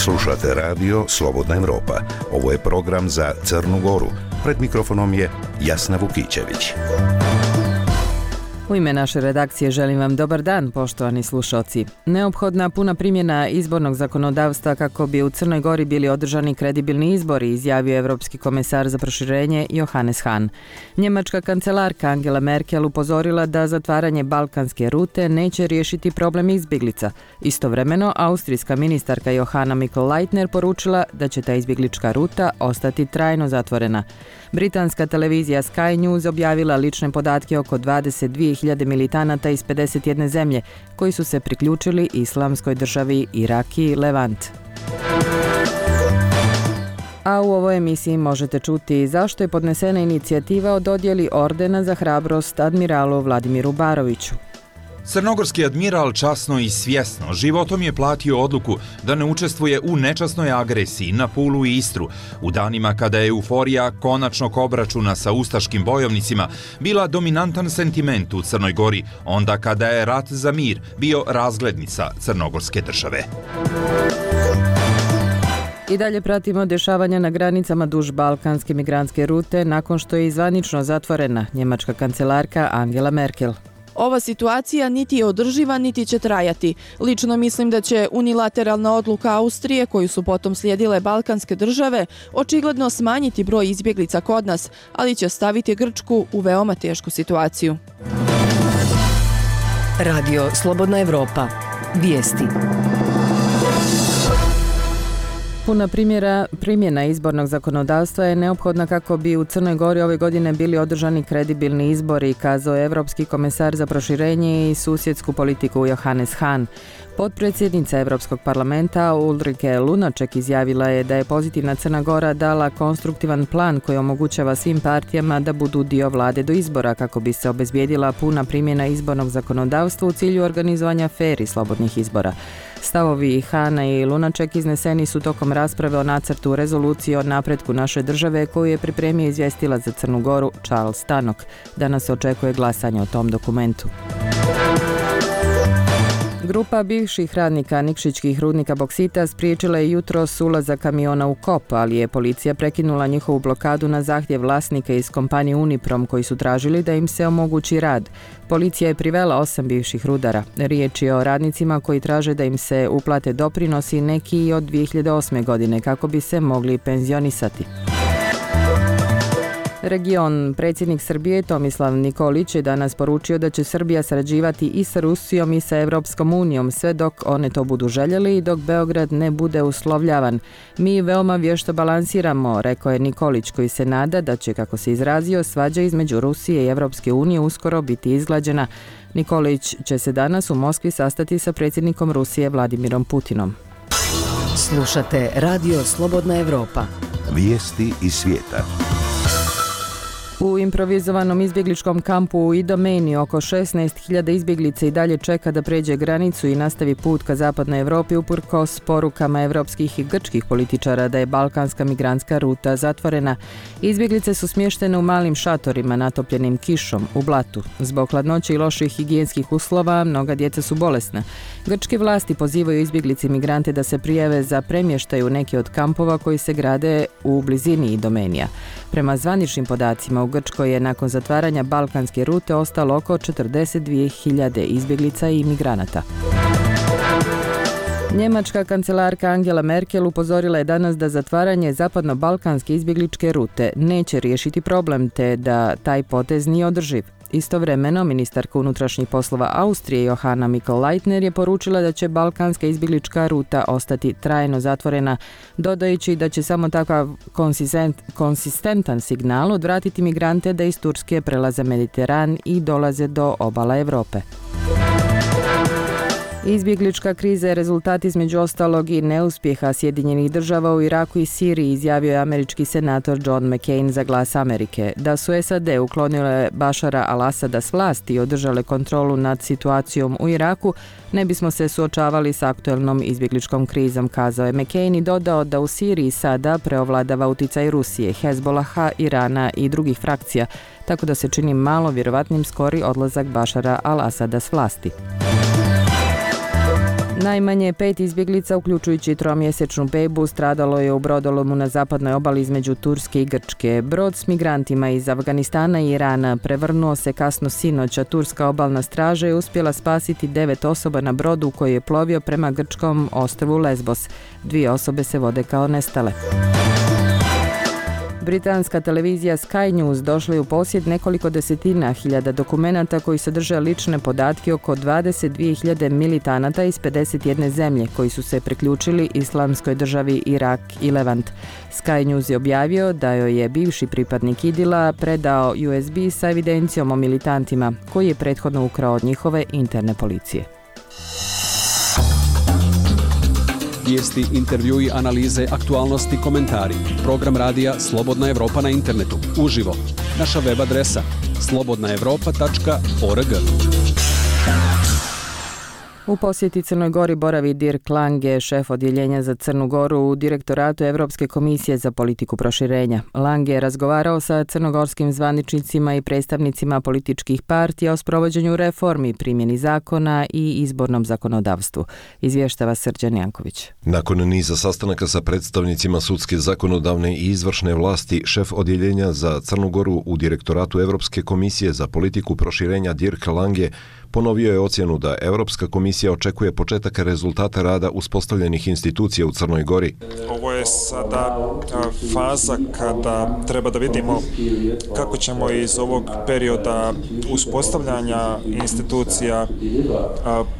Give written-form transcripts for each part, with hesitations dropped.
Slušate radio Slobodna Evropa. Ovo je program za Crnu Goru. Pred mikrofonom je Jasna Vukićević. U ime naše redakcije želim vam dobar dan, poštovani slušalci. Neophodna puna primjena izbornog zakonodavstva kako bi u Crnoj Gori bili održani kredibilni izbori, izjavio Evropski komesar za proširenje Johannes Hahn. Njemačka kancelarka Angela Merkel upozorila da zatvaranje balkanske rute neće riješiti problem izbjeglica. Istovremeno, austrijska ministarka Johanna Mikl-Leitner poručila da će ta izbjeglička ruta ostati trajno zatvorena. Britanska televizija Sky News objavila lične podatke oko 22.000 militanata iz 51 zemlje koji su se priključili Islamskoj državi Irak i Levant. A u ovoj emisiji možete čuti zašto je podnesena inicijativa o dodjeli ordena za hrabrost admiralu Vladimiru Baroviću. Crnogorski admiral časno i svjesno životom je platio odluku da ne učestvuje u nečasnoj agresiji na Pulu i Istru u danima kada je euforija konačnog obračuna sa ustaškim bojovnicima bila dominantan sentiment u Crnoj Gori, onda kada je rat za mir bio razglednica crnogorske države. I dalje pratimo dešavanja na granicama duž balkanske migrantske rute nakon što je zvanično zatvorena njemačka kancelarka Angela Merkel. Ova situacija niti je održiva, niti će trajati. Lično mislim da će unilateralna odluka Austrije, koju su potom slijedile balkanske države, očigledno smanjiti broj izbjeglica kod nas, ali će staviti Grčku u veoma tešku situaciju. Radio Slobodna Evropa. Vijesti. Puna primjena izbornog zakonodavstva je neophodna kako bi u Crnoj Gori ove godine bili održani kredibilni izbori, kazao je Evropski komesar za proširenje i susjedsku politiku Johannes Hahn. Potpredsjednica Evropskog parlamenta Ulrike Lunacek izjavila je da je pozitivna Crna Gora dala konstruktivan plan koji omogućava svim partijama da budu dio vlade do izbora kako bi se obezbijedila puna primjena izbornog zakonodavstva u cilju organizovanja fer i slobodnih izbora. Stavovi Hahna i Lunacek izneseni su tokom rasprave o nacrtu rezolucije o napretku naše države koju je pripremio izvjestilac za Crnu Goru Charles Tannock. Danas se očekuje glasanje o tom dokumentu. Grupa bivših radnika nikšićkih rudnika boksita spriječila je jutros ulazak kamiona u kop, ali je policija prekinula njihovu blokadu na zahtjev vlasnika iz kompanije Uniprom koji su tražili da im se omogući rad. Policija je privela 8 bivših rudara. Riječ je o radnicima koji traže da im se uplate doprinosi neki od 2008. godine kako bi se mogli penzionisati. Predsjednik Srbije Tomislav Nikolić je danas poručio da će Srbija sarađivati i sa Rusijom i sa Evropskom unijom sve dok one to budu željeli i dok Beograd ne bude uslovljavan. Mi veoma vješto balansiramo, rekao je Nikolić koji se nada da će, kako se izrazio, svađa između Rusije i Evropske unije uskoro biti izglađena. Nikolić će se danas u Moskvi sastati sa predsjednikom Rusije Vladimirom Putinom. Slušate Radio Slobodna Evropa. Vijesti iz svijeta. U improvizovanom izbjegličkom kampu u Idomeni oko 16.000 izbjeglica i dalje čeka da pređe granicu i nastavi put ka zapadnoj Evropi uprkos porukama evropskih i grčkih političara da je balkanska migrantska ruta zatvorena. Izbjeglice su smještene u malim šatorima natopljenim kišom u blatu. Zbog hladnoće i loših higijenskih uslova mnoga djeca su bolesna. Grčke vlasti pozivaju izbjeglice i migrante da se prijave za premještaj u neke od kampova koji se grade u blizini Idomenija. Prema zvaničnim podacima u Grčkoj je nakon zatvaranja balkanske rute ostalo oko 42.000 izbjeglica i migranata. Njemačka kancelarka Angela Merkel upozorila je danas da zatvaranje zapadno-balkanske izbjegličke rute neće riješiti problem te da taj potez nije održiv. Istovremeno, ministarka unutrašnjih poslova Austrije Johanna Mikl-Leitner je poručila da će balkanska izbjeglička ruta ostati trajno zatvorena, dodajući da će samo takav konsistentan signal odvratiti migrante da iz Turske prelaze Mediteran i dolaze do obala Europe. Izbjeglička kriza je rezultat između ostalog i neuspjeha Sjedinjenih država u Iraku i Siriji, izjavio je američki senator John McCain za Glas Amerike. Da su SAD uklonile Bašara al-Asada s vlasti i održale kontrolu nad situacijom u Iraku, ne bismo se suočavali s aktuelnom izbjegličkom krizom, kazao je McCain i dodao da u Siriji sada preovladava uticaj Rusije, Hezbolaha, Irana i drugih frakcija, tako da se čini malo vjerovatnim skori odlazak Bašara al-Asada s vlasti. Najmanje 5 izbjeglica, uključujući 3-mjesečnu bebu, stradalo je u brodolomu na zapadnoj obali između Turske i Grčke. Brod s migrantima iz Afganistana i Irana prevrnuo se kasno sinoć, a turska obalna straža je uspjela spasiti 9 osoba na brodu koji je plovio prema grčkom ostrvu Lesbos. 2 osobe se vode kao nestale. Britanska televizija Sky News došla je u posjed nekoliko desetina hiljada dokumenata koji sadrže lične podatke oko 22.000 militanata iz 51 zemlje koji su se priključili Islamskoj državi Irak i Levant. Sky News je objavio da joj je bivši pripadnik IDIL-a predao USB sa evidencijom o militantima koji je prethodno ukrao od njihove interne policije. Vijesti, intervjui, analize, aktualnosti, komentari. Program radija Slobodna Evropa na internetu. Uživo. Naša web adresa slobodnaevropa.org. U posjeti Crnoj Gori boravi Dirk Lange, šef odjeljenja za Crnu Goru u Direktoratu Europske komisije za politiku proširenja. Lange je razgovarao sa crnogorskim zvaničnicima i predstavnicima političkih partija o sprovođenju reformi, primjeni zakona i izbornom zakonodavstvu. Izvještava Srđan Janković. Nakon niza sastanaka sa predstavnicima sudske, zakonodavne i izvršne vlasti, šef odjeljenja za Crnu Goru u Direktoratu Europske komisije za politiku proširenja Dirk Lange ponovio je ocjenu da Europska komisija očekuje početak rezultata rada uspostavljenih institucija u Crnoj Gori. Ovo je sada faza kada treba da vidimo kako ćemo iz ovog perioda uspostavljanja institucija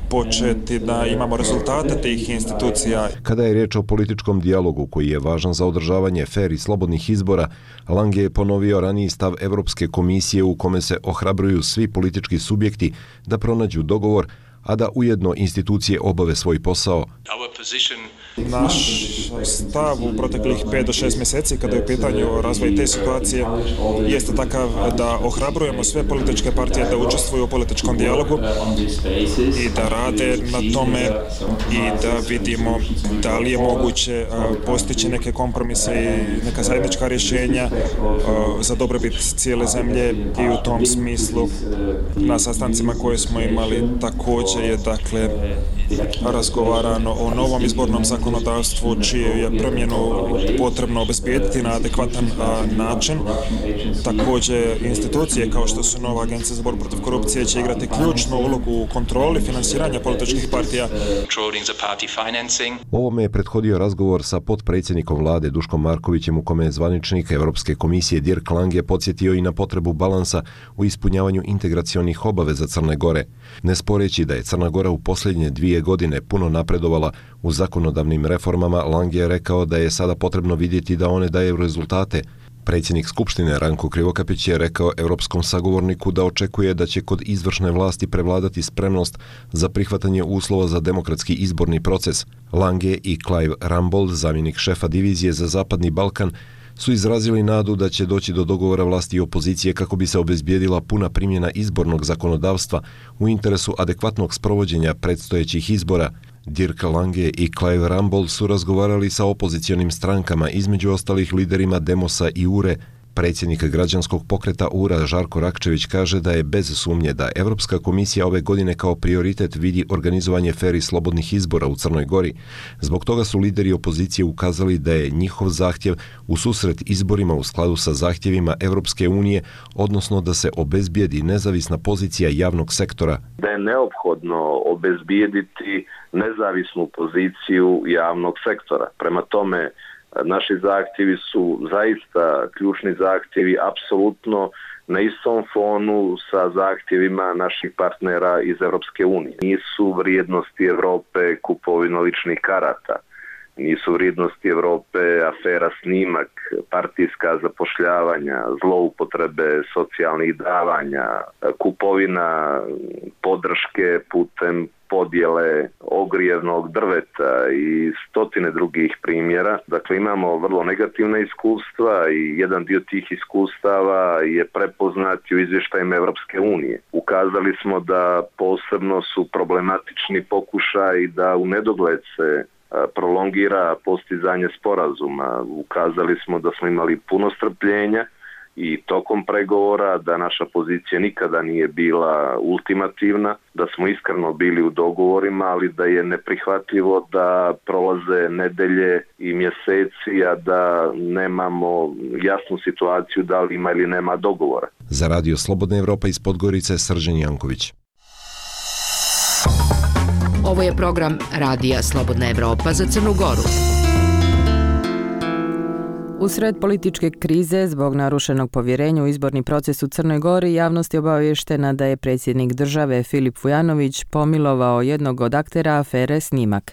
početi da imamo rezultate tih institucija. Kada je riječ o političkom dijalogu koji je važan za održavanje fer i slobodnih izbora, Lange je ponovio raniji stav Europske komisije u kome se ohrabruju svi politički subjekti da pronađu dogovor, a da ujedno institucije obave svoj posao. Naš stav u proteklih 5 do 6 mjeseci kada je u pitanju razvoj te situacije jeste takav da ohrabrujemo sve političke partije da učestvuju u političkom dijalogu i da rade na tome i da vidimo da li je moguće postići neke kompromise i neka zajednička rješenja za dobrobit cijele zemlje i u tom smislu na sastancima koje smo imali također je dakle razgovarano o novom izbornom zakonodavstvu čiju je promjenu potrebno obezbijediti na adekvatan način. Također institucije kao što su nova Agencija za borbu protiv korupcije će igrati ključnu ulogu u kontroli finansiranja političkih partija. Ovome je prethodio razgovor sa potpredsjednikom vlade Duškom Markovićem u kome je zvaničnik Europske komisije Dirk Lange podsjetio i na potrebu balansa u ispunjavanju integracionih obaveza Crne Gore, ne sporeći da je Crna Gora u posljednje 2 godine puno napredovala u zakonodavnim reformama. Lange je rekao da je sada potrebno vidjeti da one daju rezultate. Predsjednik Skupštine Ranko Krivokapić je rekao europskom sagovorniku da očekuje da će kod izvršne vlasti prevladati spremnost za prihvatanje uslova za demokratski izborni proces. Lange i Clive Rumbold, zamjenik šefa divizije za Zapadni Balkan, su izrazili nadu da će doći do dogovora vlasti i opozicije kako bi se obezbijedila puna primjena izbornog zakonodavstva u interesu adekvatnog sprovođenja predstojećih izbora. Dirk Lange i Clive Rumbold su razgovarali sa opozicionim strankama, između ostalih liderima Demosa i URE. Predsjednik građanskog pokreta URA Žarko Rakčević kaže da je bez sumnje da Europska komisija ove godine kao prioritet vidi organizovanje fer i slobodnih izbora u Crnoj Gori. Zbog toga su lideri opozicije ukazali da je njihov zahtjev u susret izborima u skladu sa zahtjevima Europske unije, odnosno da se obezbijedi nezavisna pozicija javnog sektora. Da je neophodno obezbijediti nezavisnu poziciju javnog sektora. Prema tome, naši zahtjevi su zaista ključni zahtjevi, apsolutno na istom fonu sa zahtjevima naših partnera iz Europske unije. Nisu vrijednosti Europe kupovina ličnih karata, nisu vrijednosti Europe afera snimak, partijska zapošljavanja, zloupotrebe socijalnih davanja, kupovina podrške putem podjele ogrijevnog drveta i stotine drugih primjera. Dakle, imamo vrlo negativna iskustva i jedan dio tih iskustava je prepoznat u izvještajima Europske unije. Ukazali smo da posebno su problematični pokušaj da u nedogled se prolongira postizanje sporazuma. Ukazali smo da smo imali puno strpljenja i tokom pregovora, da naša pozicija nikada nije bila ultimativna, da smo iskreno bili u dogovorima, ali da je neprihvatljivo da prolaze nedelje i mjeseci, a da nemamo jasnu situaciju da li ima ili nema dogovora. Za Radio Slobodna Evropa iz Podgorice, Srđan Janković. Ovo je program Radija Slobodna Evropa za Crnu Goru. Usred političke krize zbog narušenog povjerenja u izborni proces u Crnoj Gori, javnost je obavještena da je predsjednik države Filip Vujanović pomilovao jednog od aktera afere Snimak.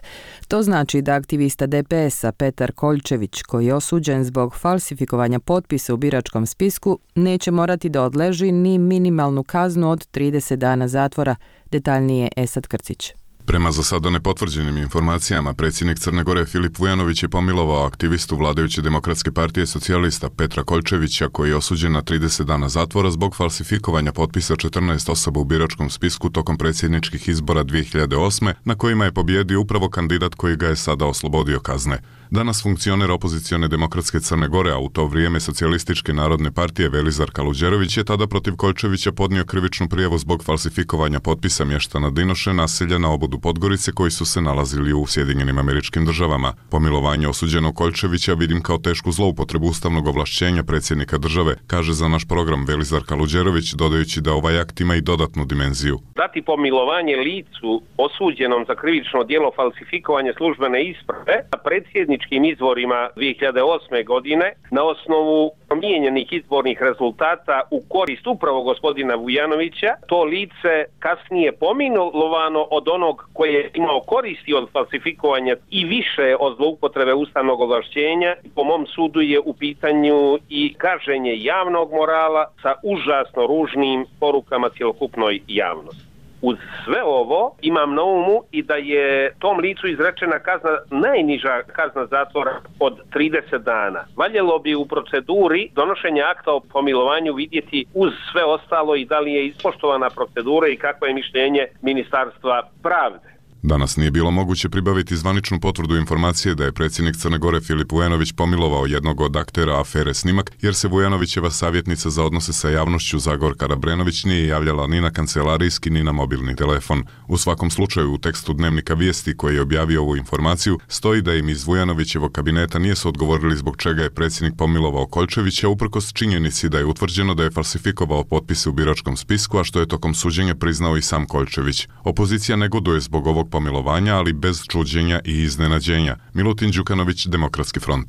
To znači da aktivista DPS-a Petar Koljčević, koji je osuđen zbog falsifikovanja potpisa u biračkom spisku, neće morati da odleži ni minimalnu kaznu od 30 dana zatvora, detaljnije Esad Krcić. Prema za sada nepotvrđenim informacijama, predsjednik Crne Gore Filip Vujanović je pomilovao aktivistu vladajuće Demokratske partije socijalista Petra Koljčevića, koji je osuđen na 30 dana zatvora zbog falsifikovanja potpisa 14 osoba u biračkom spisku tokom predsjedničkih izbora 2008. na kojima je pobijedio upravo kandidat koji ga je sada oslobodio kazne. Danas funkcioner opozicione Demokratske Crne Gore, a u to vrijeme Socijalističke narodne partije Velizar Kaluđerović je tada protiv Koljčevića podnio krivičnu prijavu zbog falsifikovanja potpisa mještana Dinoše, naselja na obodu Podgorice koji su se nalazili u Sjedinjenim Američkim Državama. Pomilovanje osuđenog Koljčevića vidim kao tešku zloupotrebu ustavnog ovlašćenja predsjednika države, kaže za naš program Velizar Kaluđerović, dodajući da ovaj akt ima i dodatnu dimenziju. Dati pomilovanje licu osuđenom za krivično djelo falsifikovanje službene isprave na predsjedničkim izborima 2008. godine na osnovu promijenjenih izbornih rezultata u korist upravo gospodina Vujanovića, to lice kasnije pomilovano od onog koji je imao koristi od falsifikovanja i više od zloupotrebe ustavnog ovlašćenja. Po mom sudu je u pitanju i gaženje javnog morala sa užasno ružnim porukama cjelokupnoj javnosti. Uz sve ovo imam na umu i da je tom licu izrečena kazna, najniža kazna zatvora od 30 dana. Valjalo bi u proceduri donošenja akta o pomilovanju vidjeti uz sve ostalo i da li je ispoštovana procedura i kakvo je mišljenje Ministarstva pravde. Danas nije bilo moguće pribaviti zvaničnu potvrdu informacije da je predsjednik Crne Gore Filip Vujanović pomilovao jednog od aktera afere Snimak, jer se Vujanovićeva savjetnica za odnose sa javnošću Zagorka Rabrenović nije javljala ni na kancelarijski ni na mobilni telefon. U svakom slučaju u tekstu Dnevnika Vijesti koji je objavio ovu informaciju stoji da im iz Vujanovićevog kabineta nisu odgovorili zbog čega je predsjednik pomilovao Koljčevića uprkos činjenici da je utvrđeno da je falsifikovao potpise u biračkom spisku, a što je tokom suđenja priznao i sam Koljčević. Opozicija negoduje zbog ovog pomilovanja, ali bez čuđenja i iznenađenja. Milutin Đukanović, Demokratski front.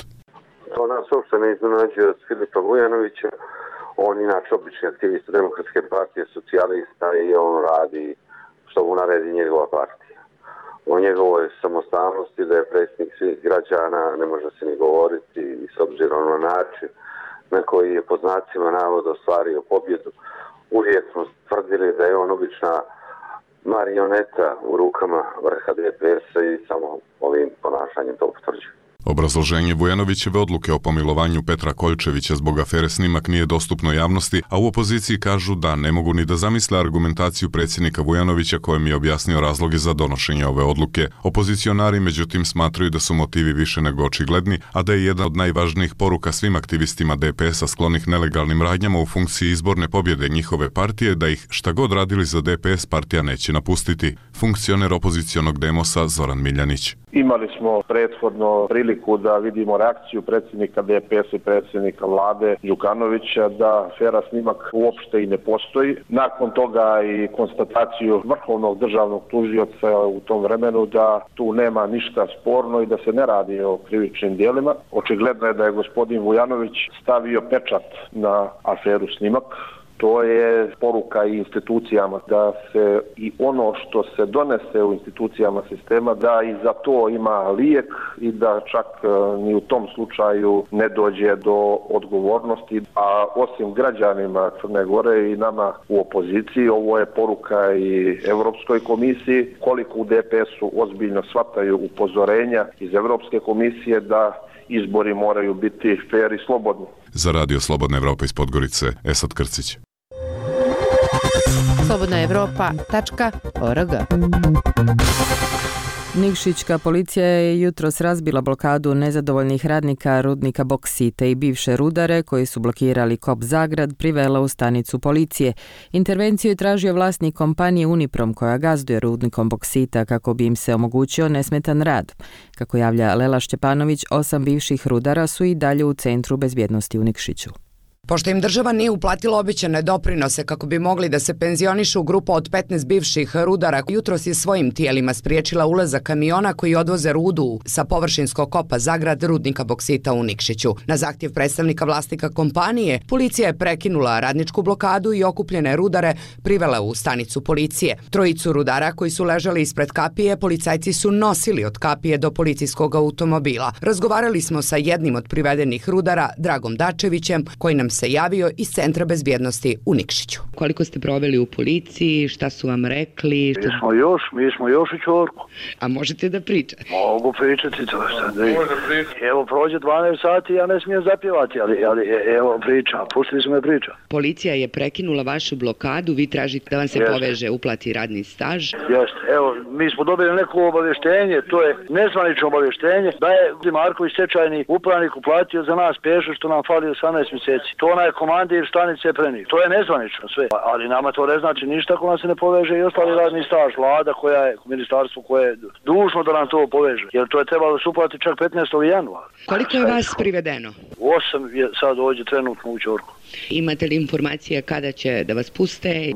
To nas uopšte ne iznenađuje od Filipa Vujanovića. On inače obični aktivist Demokratske partije socijalista i on radi što mu naredi njegova partija. O njegovoj samostalnosti da je predsjednik svih građana ne može se ni govoriti i s obzirom na način na koji je pod znacima navoda ostvario pobjedu. Uvijek smo tvrdili da je on obična marioneta u rukama vrha DPS-a i samo ovim ponašanjem to potvrđuje. Obrazloženje Vujanovićeve odluke o pomilovanju Petra Koljčevića zbog afere Snimak nije dostupno javnosti, a u opoziciji kažu da ne mogu ni da zamisle argumentaciju predsjednika Vujanovića kojem je objasnio razloge za donošenje ove odluke. Opozicionari međutim smatraju da su motivi više nego očigledni, a da je jedna od najvažnijih poruka svim aktivistima DPS-a sklonih nelegalnim radnjama u funkciji izborne pobjede njihove partije da ih šta god radili za DPS partija neće napustiti. Funkcioner opozicionog Demosa Zoran Miljanić. Imali smo prethodno priliku da vidimo reakciju predsjednika DPS i predsjednika vlade Đukanovića da afera Snimak uopšte i ne postoji. Nakon toga i konstataciju vrhovnog državnog tužioca u tom vremenu da tu nema ništa sporno i da se ne radi o krivičnim djelima. Očigledno je da je gospodin Vujanović stavio pečat na aferu Snimak. To je poruka i institucijama da se i ono što se donese u institucijama sistema da i za to ima lijek i da čak ni u tom slučaju ne dođe do odgovornosti. A osim građanima Crne Gore i nama u opoziciji, ovo je poruka i Europskoj komisiji koliko u DPS-u ozbiljno shvataju upozorenja iz Europske komisije da izbori moraju biti fer i slobodni. Za Radio Slobodna Evropa iz Podgorice, Esad Krcić. slobodnaevropa.org Nikšićka policija je jutros razbila blokadu nezadovoljnih radnika rudnika boksita i bivše rudare koji su blokirali Kop Zagrad privela u stanicu policije. Intervenciju je tražio vlasnik kompanije Uniprom koja gazduje rudnikom boksita kako bi im se omogućio nesmetan rad. Kako javlja Lela Šćepanović, 8 bivših rudara su i dalje u centru bezbjednosti u Nikšiću. Pošto im država nije uplatila obećane doprinose kako bi mogli da se penzionišu, grupa od 15 bivših rudara jutros je svojim tijelima spriječila ulazak kamiona koji odvoze rudu sa površinskog kopa Zagrad rudnika boksita u Nikšiću. Na zahtjev predstavnika vlasnika kompanije, policija je prekinula radničku blokadu i okupljene rudare privela u stanicu policije. Trojicu rudara koji su ležali ispred kapije, policajci su nosili od kapije do policijskog automobila. Razgovarali smo sa jednim od privedenih rudara, Dragom Dačevićem, koji nam se javio iz Centra bezbjednosti u Nikšiću. Koliko ste proveli u policiji, šta su vam rekli? Mi smo još u čorku. A možete da pričate? Mogu pričati to što da je. Evo prođe 12 sati, ja ne smijem zapjevati, ali evo priča, pustili smo me priča. Policija je prekinula vašu blokadu, vi tražite da vam se poveže, uplati radni staž. Jeste, evo, mi smo dobili neko obavještenje, to je nezvanično obavještenje, da je Marković stečajni upravnik uplatio za nas pešu što nam fali 18 mjeseci. To onaj komandir stanice prenio. To je nezvanično sve, ali nama to ne znači ništa ako nam se ne poveže i ostali radni staž. Vlada koja je, ministarstvo koje je dužno da nam to poveže, jer to je trebalo se uplati čak 15. januara. Koliko je vas privedeno? 8 je sad ovdje trenutno u čorku. Imate li informacije kada će da vas puste?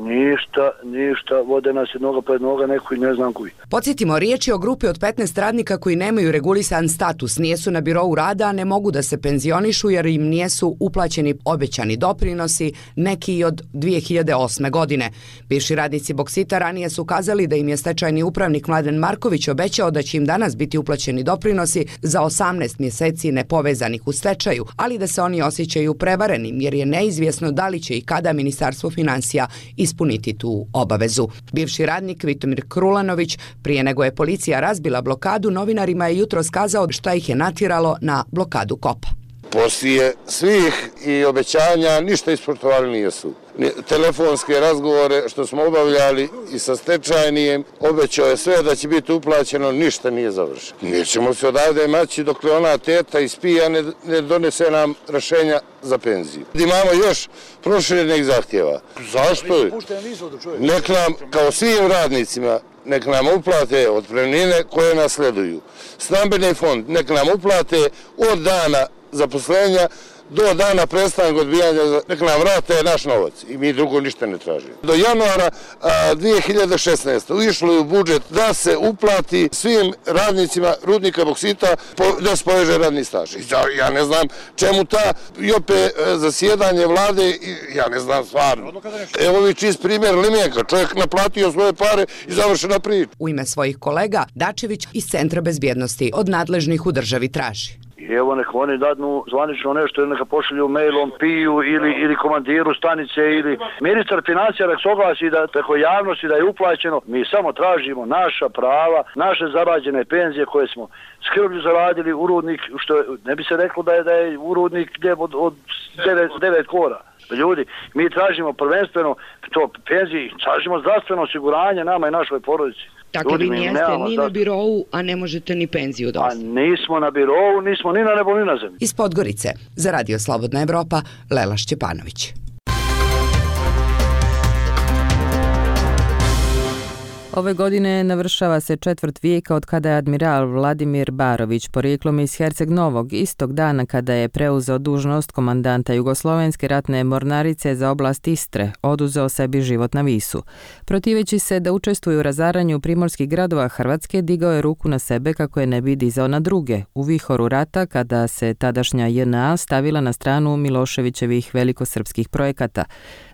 Ništa, vode nas jednoga pred noga, neko i ne znam koji. Podsjetimo, riječ je o grupi od 15 radnika koji nemaju regulisan status, nijesu na birou rada, ne mogu da se penzionišu jer im nijesu uplaćeni obećani doprinosi, neki i od 2008. godine. Bivši radnici boksita ranije su kazali da im je stečajni upravnik Mladen Marković obećao da će im danas biti uplaćeni doprinosi za 18 mjeseci nepovezanih u stečaju, ali da se oni osjećaju prevarenim jer je neizvjesno da li će i kada Ministarstvo financija ispuniti tu obavezu. Bivši radnik Vitomir Krulanović, prije nego je policija razbila blokadu, novinarima je jutros kazao šta ih je natjeralo na blokadu kopa. Poslije svih i obećanja ništa ispoštovali nisu. Telefonske razgovore što smo obavljali i sa stečajnijem, obećao je sve da će biti uplaćeno, ništa nije završeno. Nećemo se odavde maći dok ona teta ispija ne donese nam rješenja za penziju. Imamo još proširenih zahtjeva. Zašto? Nek nam, kao svim radnicima, nek nam uplate otpremnine koje nasleduju. Stambeni fond nek nam uplate od dana zaposlenja do dana prestanka odbijanja, nek nam vrate naš novac i mi drugo ništa ne tražimo. Do januara 2016. išlo je u budžet da se uplati svim radnicima rudnika boksita da se poveže radni staž. Ja ne znam čemu ta i opet zasjedanje vlade, ja ne znam stvarno. Evo vi čist primjer Limenka, čovjek naplatio svoje pare i završena priča. U ime svojih kolega, Dačević iz Centra bezbjednosti od nadležnih u državi traži. Evo neka oni dadnu zvanično nešto ili neka pošalju mailom Piju ili komandiru stanice ili ministar financija nek se oglasi da preko javnosti da je uplaćeno. Mi samo tražimo naša prava, naše zarađene penzije koje smo skrbno zaradili u rudnik, što ne bi se reklo da je u rudnik od 9 kora. Ljudi, mi tražimo prvenstveno to penzije, tražimo zdravstveno osiguranje nama i našoj porodici. Dakle, vi nijeste ni na birovu, a ne možete ni penziju dostaviti. A nismo na birovu, nismo ni na nebo, ni na zemlji. Iz Podgorice, za Radio Slobodna Evropa, Lela Šćepanović. Ove godine navršava se 4. vijeka od kada je admiral Vladimir Barović, porijeklom iz Herceg Novog, istog dana kada je preuzeo dužnost komandanta Jugoslovenske ratne mornarice za oblast Istre, oduzeo sebi život na Visu. Protiveći se da učestvuje u razaranju primorskih gradova Hrvatske, digao je ruku na sebe kako je ne bi dizao na druge, u vihoru rata kada se tadašnja JNA stavila na stranu Miloševićevih velikosrpskih projekata.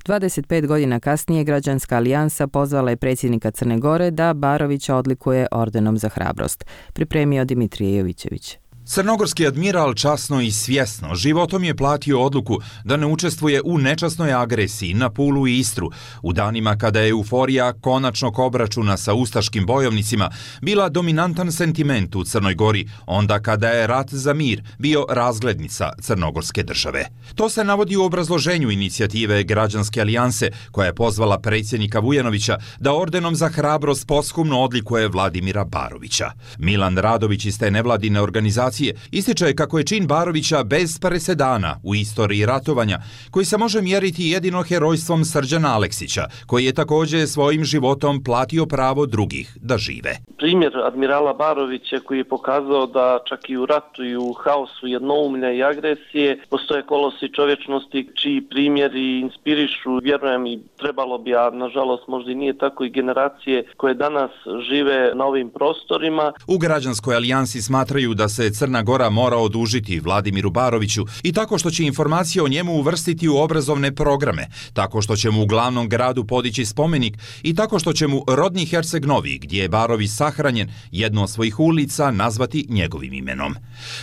25 godina kasnije Građanska alijansa pozvala je predsjednika Crne Gore da Barovića odlikuje ordenom za hrabrost. Pripremio Dimitrije Jovićević. Crnogorski admiral časno i svjesno životom je platio odluku da ne učestvuje u nečasnoj agresiji na Pulu i Istru u danima kada je euforija konačnog obračuna sa ustaškim bojovnicima bila dominantan sentiment u Crnoj Gori, onda kada je rat za mir bio razglednica crnogorske države. To se navodi u obrazloženju inicijative Građanske alijanse koja je pozvala predsjednika Vujanovića da ordenom za hrabrost posthumno odlikuje Vladimira Barovića. Milan Radović iz te nevladine organizacije ističe kako je čin Barovića bez presedana u istoriji ratovanja, koji se može mjeriti jedino herojstvom Srđana Aleksića, koji je također svojim životom platio pravo drugih da žive. Primjer admirala Barovića koji je pokazao da čak i u ratu i u haosu jednoumlja i agresije postoje kolosi čovječnosti čiji primjeri inspirišu, vjerujem i trebalo bi, a nažalost možda i nije tako, i generacije koje danas žive na ovim prostorima. U Građanskoj alijansi smatraju da se Crna Gora mora odužiti Vladimiru Baroviću i tako što će informacije o njemu uvrstiti u obrazovne programe, tako što će mu u glavnom gradu podići spomenik i tako što će mu rodni Herceg Novi, gdje je Barović sahranjen, jednu od svojih ulica nazvati njegovim imenom.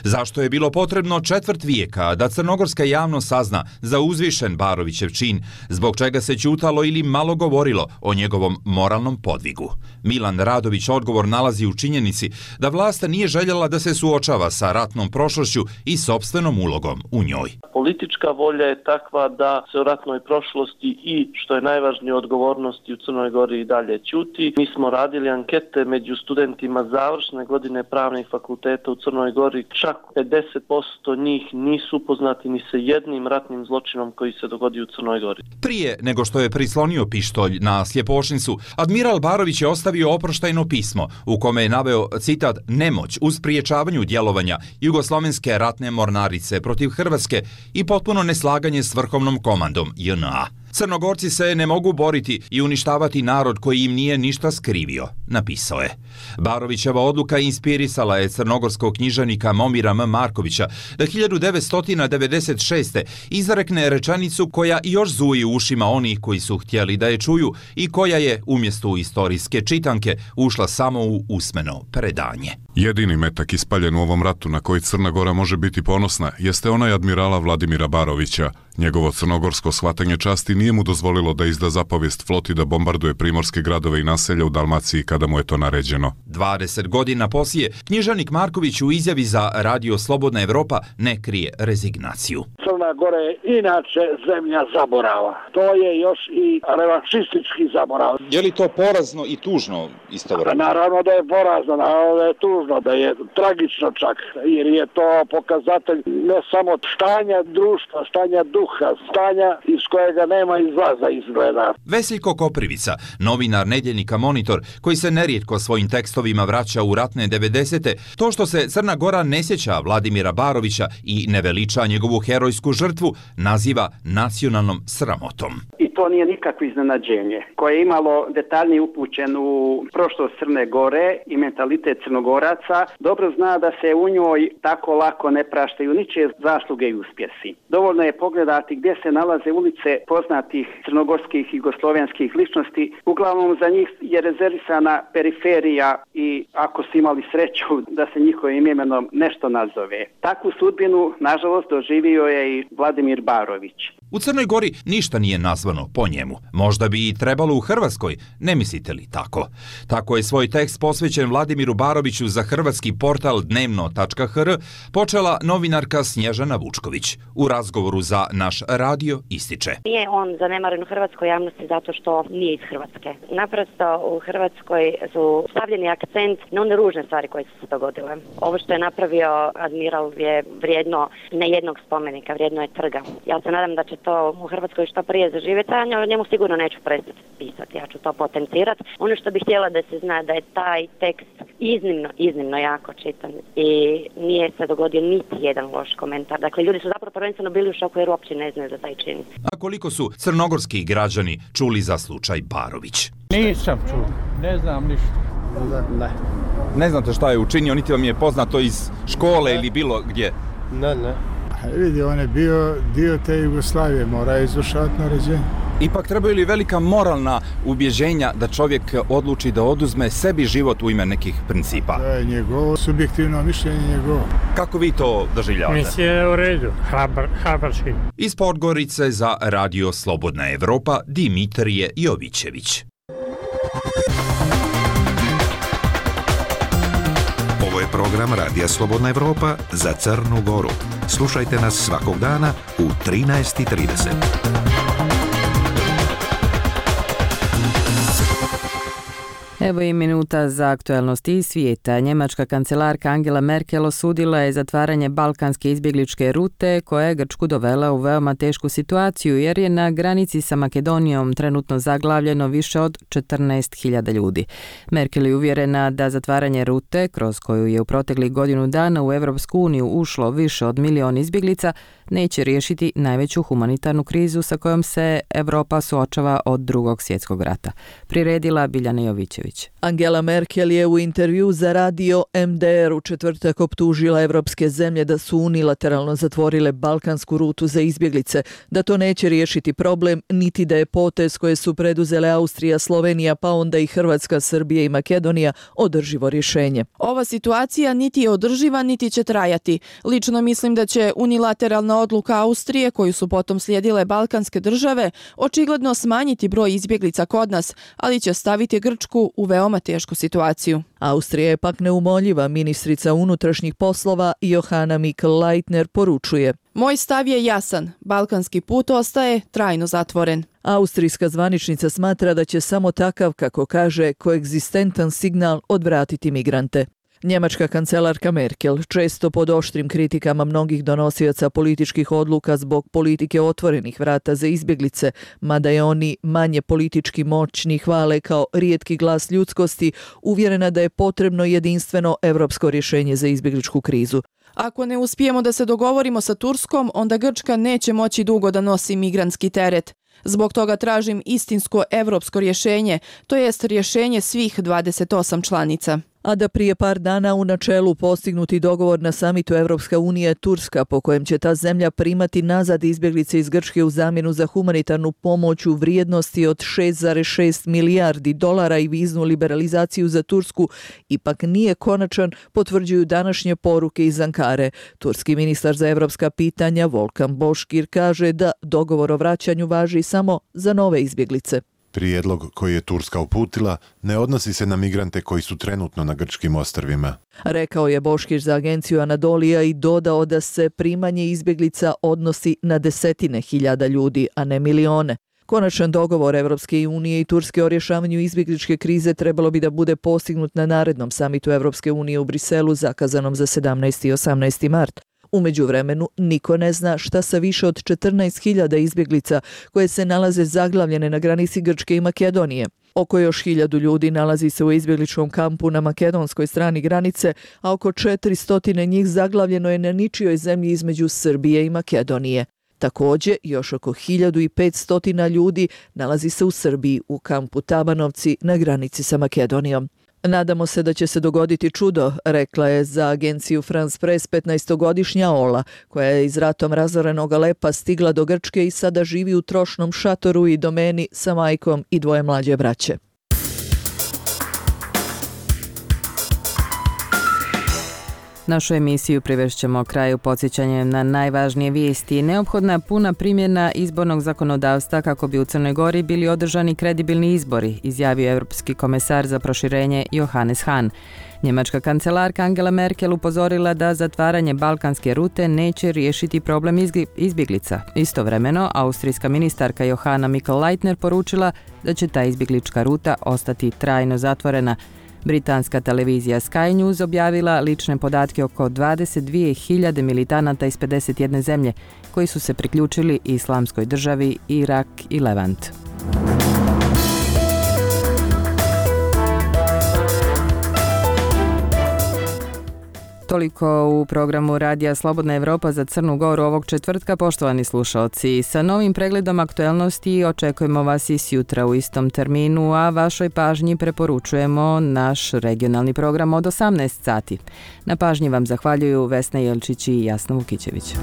Zašto je bilo potrebno četvrt vijeka da crnogorska javnost sazna za uzvišen Barovićev čin, zbog čega se ćutalo ili malo govorilo o njegovom moralnom podvigu? Milan Radović odgovor nalazi u činjenici da vlast nije željela da se suočava sa ratnom prošlošću i sopstvenom ulogom u njoj. Politička volja je takva da se o ratnoj prošlosti i, što je najvažnije, odgovornosti u Crnoj Gori i dalje ćuti. Mi smo radili ankete među studentima završne godine pravnih fakulteta u Crnoj Gori. Čak 50% njih nisu upoznati ni sa jednim ratnim zločinom koji se dogodio u Crnoj Gori. Prije nego što je prislonio pištolj na Sljepošnicu, admiral Barović je ostavio oproštajno pismo u kome je naveo, citat, nemoć u spriječavanju djelovanja Jugoslovenske ratne mornarice protiv Hrvatske i potpuno neslaganje s vrhovnom komandom JNA. Crnogorci se ne mogu boriti i uništavati narod koji im nije ništa skrivio, napisao je. Barovićeva odluka inspirisala je crnogorskog književnika Momira M. Markovića da 1996. izrekne rečenicu koja još zuji u ušima onih koji su htjeli da je čuju i koja je, umjesto u istorijske čitanke, ušla samo u usmeno predanje. Jedini metak ispaljen u ovom ratu na koji Crna Gora može biti ponosna jeste onaj admirala Vladimira Barovića. Njegovo crnogorsko shvatanje časti nije mu dozvolilo da izda zapovijest floti da bombarduje primorske gradove i naselja u Dalmaciji kada mu je to naređeno. 20 godina poslije, književnik Marković u izjavi za Radio Slobodna Evropa ne krije rezignaciju. Crna Gora je inače zemlja zaborava. To je još i revanšistički zaborav. Je li to porazno i tužno istovremeno? Naravno da je porazno, naravno da je tužno, da je tragično čak, jer je to pokazatelj ne samo stanja društva, stanja duha, stanja iz kojega nema izlaza izgleda. Veseljko Koprivica, novinar nedjeljnika Monitor, koji se nerijetko svojim tekstovima vraća u ratne 90. To što se Crna Gora ne sjeća Vladimira Barovića i ne veliča njegovu herojsku žrtvu, naziva nacionalnom sramotom. I to nije nikakvo iznenađenje. Koje je imalo detaljnije upućen u prošlost Crne Gore i mentalitet Crnogoraca, dobro zna da se u njoj tako lako ne praštaju ničije zasluge i uspjesi. Dovoljno je pogledati gdje se nalaze ulice poznatih crnogorskih i jugoslovenskih ličnosti. Uglavnom za njih je rezervisana periferija i ako su imali sreću da se njihovim imenom nešto nazove. Takvu sudbinu, nažalost, doživio je i Vladimir Barović. U Crnoj Gori ništa nije nazvano po njemu. Možda bi i trebalo u Hrvatskoj, ne mislite li tako? Tako je svoj tekst posvećen Vladimiru Baroviću za hrvatski portal dnevno.hr počela novinarka Snježana Vučković. U razgovoru za naš radio ističe. Nije on zanemaren u hrvatskoj javnosti zato što nije iz Hrvatske. Naprosto u Hrvatskoj su stavljeni akcent na one ružne stvari koje su se dogodile. Ovo što je napravio admiral je vrijedno ne jednog spomenika, vrijedno je trga. Ja se nadam da će to u Hrvatskoj što prije zaživjeti, a o njemu sigurno neću prestati pisati, ja ću to potencirati. Ono što bih htjela da se zna da je taj tekst iznimno jako čitan i nije se dogodio niti jedan loš komentar. Dakle, ljudi su zapravo prvenstveno bili u šoku jer uopće ne znaju za taj čin. A koliko su crnogorski građani čuli za slučaj Barović? Nisam čuo, ne znam ništa. Ne. Ne znate šta je učinio, niti vam je poznato iz škole ili bilo gdje? Ne. Vidi, on je bio dio te Jugoslavije, mora izvršavati naređenje. Ipak trebaju li velika moralna ubježenja da čovjek odluči da oduzme sebi život u ime nekih principa? To je njegovo subjektivno mišljenje njegovo. Kako vi to doživljavate? Mislim je u redu, hrabar čin. Iz Podgorice za Radio Slobodna Evropa Dimitrije Jovićević. Ovo je program Radija Slobodna Evropa za Crnu Goru. Slušajte nas svakog dana u 13:30. Evo i minuta za aktualnosti iz svijeta. Njemačka kancelarka Angela Merkel osudila je zatvaranje balkanske izbjegličke rute koja je Grčku dovela u veoma tešku situaciju jer je na granici sa Makedonijom trenutno zaglavljeno više od 14.000 ljudi. Merkel je uvjerena da zatvaranje rute, kroz koju je u proteklih godinu dana u Europsku uniju ušlo više od 1 milion izbjeglica, neće riješiti najveću humanitarnu krizu sa kojom se Europa suočava od Drugog svjetskog rata. Priredila Biljana Jovićević. Angela Merkel je u intervju za radio MDR u četvrtak optužila evropske zemlje da su unilateralno zatvorile balkansku rutu za izbjeglice, da to neće riješiti problem, niti da je potez koje su preduzele Austrija, Slovenija, pa onda i Hrvatska, Srbija i Makedonija održivo rješenje. Ova situacija niti je održiva, niti će trajati. Lično mislim da će unilateralna odluka Austrije, koju su potom slijedile balkanske države, očigledno smanjiti broj izbjeglica kod nas, ali će staviti Grčku u veoma tešku situaciju. Austrija je pak neumoljiva. Ministrica unutrašnjih poslova Johanna Mikl-Leitner poručuje: Moj stav je jasan. Balkanski put ostaje trajno zatvoren. Austrijska zvaničnica smatra da će samo takav, kako kaže, koegzistentan signal odvratiti migrante. Njemačka kancelarka Merkel, često pod oštrim kritikama mnogih donosioca političkih odluka zbog politike otvorenih vrata za izbjeglice, mada je oni manje politički moćni hvale kao rijetki glas ljudskosti, uvjerena da je potrebno jedinstveno europsko rješenje za izbjegličku krizu. Ako ne uspijemo da se dogovorimo sa Turskom, onda Grčka neće moći dugo da nosi migrantski teret. Zbog toga tražim istinsko europsko rješenje, to jest rješenje svih 28 članica. A da prije par dana u načelu postignuti dogovor na samitu Evropska unija Turska, po kojem će ta zemlja primati nazad izbjeglice iz Grčke u zamjenu za humanitarnu pomoć u vrijednosti od 6,6 milijardi dolara i viznu liberalizaciju za Tursku, ipak nije konačan, potvrđuju današnje poruke iz Ankare. Turski ministar za evropska pitanja Volkan Boškir kaže da dogovor o vraćanju važi samo za nove izbjeglice. Prijedlog koji je Turska uputila ne odnosi se na migrante koji su trenutno na grčkim ostrvima. Rekao je Boškić za agenciju Anadolija i dodao da se primanje izbjeglica odnosi na desetine hiljada ljudi, a ne milione. Konačan dogovor Evropske unije i Turske o rješavanju izbjegličke krize trebalo bi da bude postignut na narednom samitu Evropske unije u Briselu zakazanom za 17. i 18. mart. U međuvremenu niko ne zna šta sa više od 14.000 izbjeglica koje se nalaze zaglavljene na granici Grčke i Makedonije. Oko još 1.000 ljudi nalazi se u izbjegličkom kampu na makedonskoj strani granice, a oko 400 njih zaglavljeno je na ničijoj zemlji između Srbije i Makedonije. Također, još oko 1.500 ljudi nalazi se u Srbiji u kampu Tabanovci na granici sa Makedonijom. Nadamo se da će se dogoditi čudo, rekla je za agenciju France Press 15-godišnja Ola, koja je iz ratom razorenog Alepa stigla do Grčke i sada živi u trošnom šatoru i domeni sa majkom i 2 mlađe braće. Našu emisiju privešćemo kraju podsjećanjem na najvažnije vijesti. Neophodna puna primjena izbornog zakonodavstva kako bi u Crnoj Gori bili održani kredibilni izbori, izjavio Europski komesar za proširenje Johannes Hahn. Njemačka kancelarka Angela Merkel upozorila da zatvaranje balkanske rute neće riješiti problem izbjeglica. Istovremeno, austrijska ministarka Johanna Mikl-Leitner poručila da će ta izbjeglička ruta ostati trajno zatvorena. Britanska televizija Sky News objavila lične podatke oko 22.000 militanata iz 51 zemlje koji su se priključili Islamskoj državi, Irak i Levant. Toliko u programu Radija Slobodna Evropa za Crnu Goru ovog četvrtka, poštovani slušalci. Sa novim pregledom aktuelnosti očekujemo vas i sjutra u istom terminu, a vašoj pažnji preporučujemo naš regionalni program od 18 sati. Na pažnji vam zahvaljuju Vesna Jelčić i Jasna Vukićević.